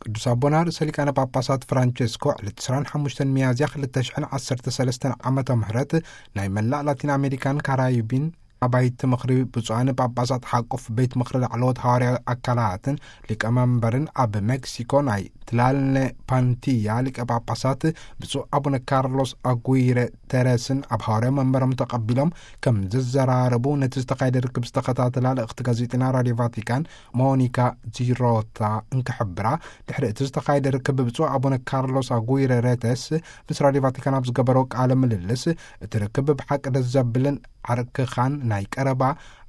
ቅዱስ ኣቦና ርእሰ ሊቃነ ጳጳሳት ፍራንቸስኮ ዕለት ዕስራን ሓሙሽተን ሚያዝያ ክልተ ሽሕን ዓሰርተ ሰለስተን ዓመተ ምህረት ናይ መላእ ላቲን ኣሜሪካን ካራይቢን ኣባይቲ ምኽሪ ብፁዓን ጳጳሳት ሓቁፍ ቤት ምኽሪ ላዕለዎት ሃዋርያዊ ኣካላትን ሊቀመንበርን ኣብ ሜክሲኮ ናይ ትላልነ ፓንቲያ ሊቀ ጳጳሳት ብፁዕ ኣቡነ ካርሎስ ኣጉይረ ተረስን ኣብ ሃዋርያዊ መንበሮም ተቐቢሎም ከም ዘዘራረቡ ነቲ ዝተኻየደ ርክብ ዝተኸታተላ ልእኽቲ ጋዜጢና ራድዮ ቫቲካን ሞኒካ ዚሮታ እንክሕብራ፣ ድሕሪ እቲ ዝተኻየደ ርክብ ብፁዕ ኣቡነ ካርሎስ ኣጉይረ ረተስ ምስ ራድዮ ቫቲካን ኣብ ዝገበሮ ቃለ ምልልስ፣ እቲ ርክብ ብሓቂ ደስ ዘብልን ዓርክኻን ናይ ቀረባ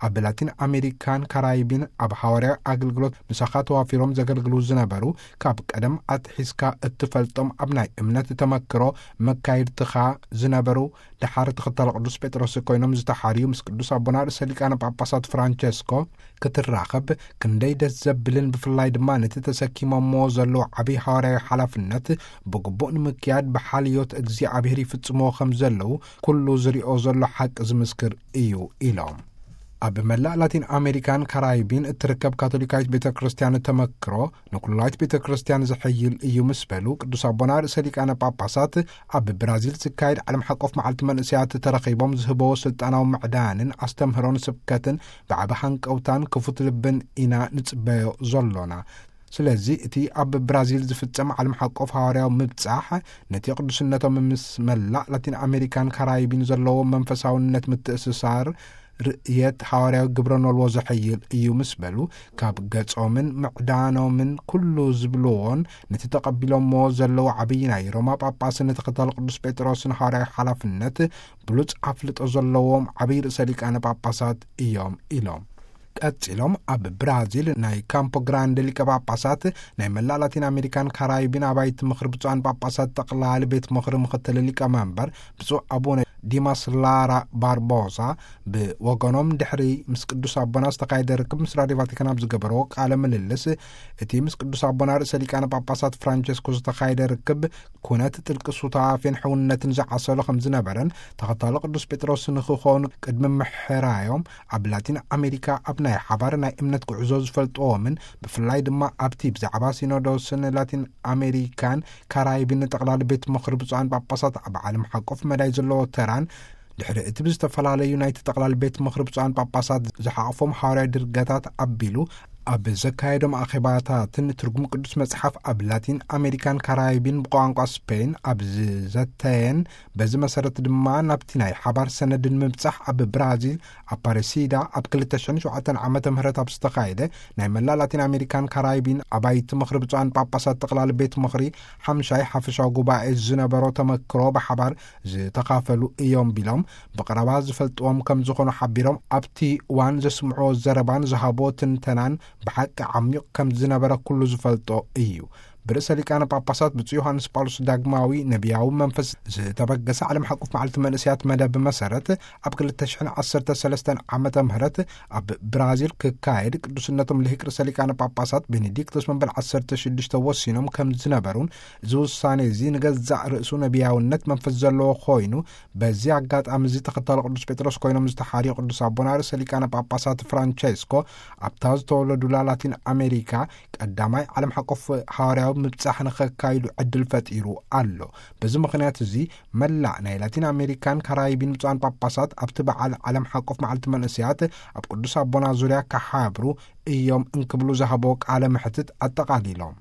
ኣብ ላቲን ኣሜሪካን ካራይቢን ኣብ ሃዋርያዊ ኣገልግሎት ምሳኻ ተዋፊሮም ዘገልግሉ ዝነበሩ፣ ካብ ቀደም ኣትሒዝካ እትፈልጦም ኣብ ናይ እምነት ተመክሮ መካይድትኻ ዝነበሩ፣ ደሓር ተኸታሊ ቅዱስ ጴጥሮስ ኮይኖም ዝተሓርዩ ምስ ቅዱስ ኣቦና ርእሰ ሊቃነ ጳጳሳት ፍራንቸስኮ ክትራኸብ ክንደይ ደስ ዘብልን ብፍላይ ድማ ነቲ ተሰኪሞምዎ ዘለዉ ዓብዪ ሃዋርያዊ ሓላፍነት ብግቡእ ንምክያድ ብሓልዮት እግዚኣብሔር ይፍጽምዎ ከም ዘለዉ ኩሉ ዝሪኦ ዘሎ ሓቂ ዝምስክር እዩ ኢሎም። ኣብ መላእ ላቲን ኣሜሪካን ካራይቢን እትርከብ ካቶሊካዊት ቤተ ክርስቲያን ተመክሮ ንኩላዊት ቤተ ክርስቲያን ዝሕይል እዩ ምስ በሉ፣ ቅዱስ ኣቦና ርእሰ ሊቃነ ጳጳሳት ኣብ ብራዚል ዝካየድ ዓለም ሓቆፍ መዓልቲ መንእሰያት ተረኺቦም ዝህበዎ ስልጣናዊ ምዕዳንን ኣስተምህሮን ስብከትን ብዓቢ ሃንቀውታን ክፉት ልብን ኢና ንጽበዮ ዘሎና። ስለዚ እቲ ኣብ ብራዚል ዝፍጸም ዓለም ሓቆፍ ሃዋርያዊ ምብጻሕ ነቲ ቅዱስነቶም ምስ መላእ ላቲን ኣሜሪካን ካራይቢን ዘለዎ መንፈሳውነት ምትእስሳር ርእየት ሃዋርያዊ ግብረ ኖልዎ ዘሐይል እዩ ምስ በሉ፣ ካብ ገጾምን ምዕዳኖምን ኩሉ ዝብልዎን ነቲ ተቐቢሎምዎ ዘለዉ ዓብዪ ናይ ሮማ ጳጳስን ተኸታሊ ቅዱስ ጴጥሮስን ሃዋርያዊ ሓላፍነት ብሉጽ ኣፍልጦ ዘለዎም ዓብዪ ርእሰ ሊቃነ ጳጳሳት እዮም ኢሎም። ቀጺሎም ኣብ ብራዚል ናይ ካምፖ ግራንደ ሊቀ ጳጳሳት ናይ መላእ ላቲን ኣሜሪካን ካራይቢን ኣባይቲ ምኽሪ ብፁዓን ጳጳሳት ጠቕላሊ ቤት ምኽሪ ምኽትል ሊቀ መንበር ብፁዕ ኣቡነ ዲማስ ላራ ባርቦሳ ብወገኖም ድሕሪ ምስ ቅዱስ ኣቦና ዝተኻየደ ርክብ ምስ ራድዮ ቫቲካን ኣብ ዝገበርዎ ቃለ ምልልስ፣ እቲ ምስ ቅዱስ ኣቦና ርእሰ ሊቃነ ጳጳሳት ፍራንቸስኮ ዝተኻየደ ርክብ ኩነት ጥልቂ ሱታፌን ሕውነትን ዝዓሰሎ ከም ዝነበረን ተኸታሎ ቅዱስ ጴጥሮስ ንክኾኑ ቅድሚ ምሕራዮም ኣብ ላቲን ኣሜሪካ ኣብ ናይ ሓባር ናይ እምነት ጉዕዞ ዝፈልጥዎምን ብፍላይ ድማ ኣብቲ ብዛዕባ ሲኖዶስን ላቲን ኣሜሪካን ካራይብን ጠቕላሊ ቤት ምኽሪ ብፁዓን ጳጳሳት ኣብ ዓለም ሓቆፍ መዳይ ዘለዎ ተራን ድሕሪ እቲ ብዝተፈላለዩ ናይቲ ጠቕላሊ ቤት ምኽሪ ብፁዓን ጳጳሳት ዝሓቆፎም ሓዋርያዊ ድርገታት ኣቢሉ ኣብ ዘካየዶም ኣኼባታትን ትርጉም ቅዱስ መጽሓፍ ኣብ ላቲን ኣሜሪካን ካራይብን ብቋንቋ ስፔን ኣብ ዝዘተየን በዚ መሰረት ድማ ናብቲ ናይ ሓባር ሰነድን ምብጻሕ ኣብ ብራዚል ኣፓረሲዳ ኣብ ክልተ ሽሕን ሸውዓተን ዓመተ ምህረት ኣብ ዝተኻየደ ናይ መላእ ላቲን ኣሜሪካን ካራይብን ኣባይቲ ምኽሪ ብፁዓን ጳጳሳት ጠቕላሊ ቤት ምኽሪ ሓምሻይ ሓፈሻዊ ጉባኤ ዝነበሮ ተመክሮ ብሓባር ዝተኻፈሉ እዮም ቢሎም ብቐረባ ዝፈልጥዎም ከም ዝኾኑ ሓቢሮም ኣብቲ እዋን ዘስምዕዎ ዘረባን ዝሃብዎ ትንተናን ብሓቂ ዓሚቕ ከም ዝነበረ ኩሉ ዝፈልጦ እዩ። ብርእሰ ሊቃነ ጳጳሳት ብፁዕ ዮሃንስ ጳውሎስ ዳግማዊ ነቢያዊ መንፈስ ዝተበገሰ ዓለም ሓቁፍ መዓልቲ መንእሰያት መደብ መሰረት ኣብ ክልተ ሽሕን ዓሰርተ ሰለስተን ዓመተ ምህረት ኣብ ብራዚል ክካየድ ቅዱስነቶም ልሂቅ ርእሰ ሊቃነ ጳጳሳት ቤኔዲክቶስ መበል ዓሰርተ ሽዱሽተ ወሲኖም ከም ዝነበሩን እዚ ውሳኔ እዚ ንገዛእ ርእሱ ነቢያውነት መንፈስ ዘለዎ ኮይኑ በዚ ኣጋጣሚ እዚ ተኸታሊ ቅዱስ ጴጥሮስ ኮይኖም ዝተሓርዩ ቅዱስ ኣቦና ርእሰ ሊቃነ ጳጳሳት ፍራንቸስኮ ኣብታ ዝተወለዱላ ላቲን ኣሜሪካ ቀዳማይ ዓለም ሓቆፍ ሃዋርያዊ ምብጻሕ ንኸካይዱ ዕድል ፈጢሩ ኣሎ። በዚ ምኽንያት እዚ መላእ ናይ ላቲን ኣሜሪካን ካራይቢን ብፁዓን ጳጳሳት ኣብቲ በዓል ዓለም ሓቆፍ መዓልቲ መንእሰያት ኣብ ቅዱስ ኣቦና ዙርያ ክሓብሩ እዮም እንክብሉ ዝሃቦ ቃለ መሕትት ኣጠቓሊሎም።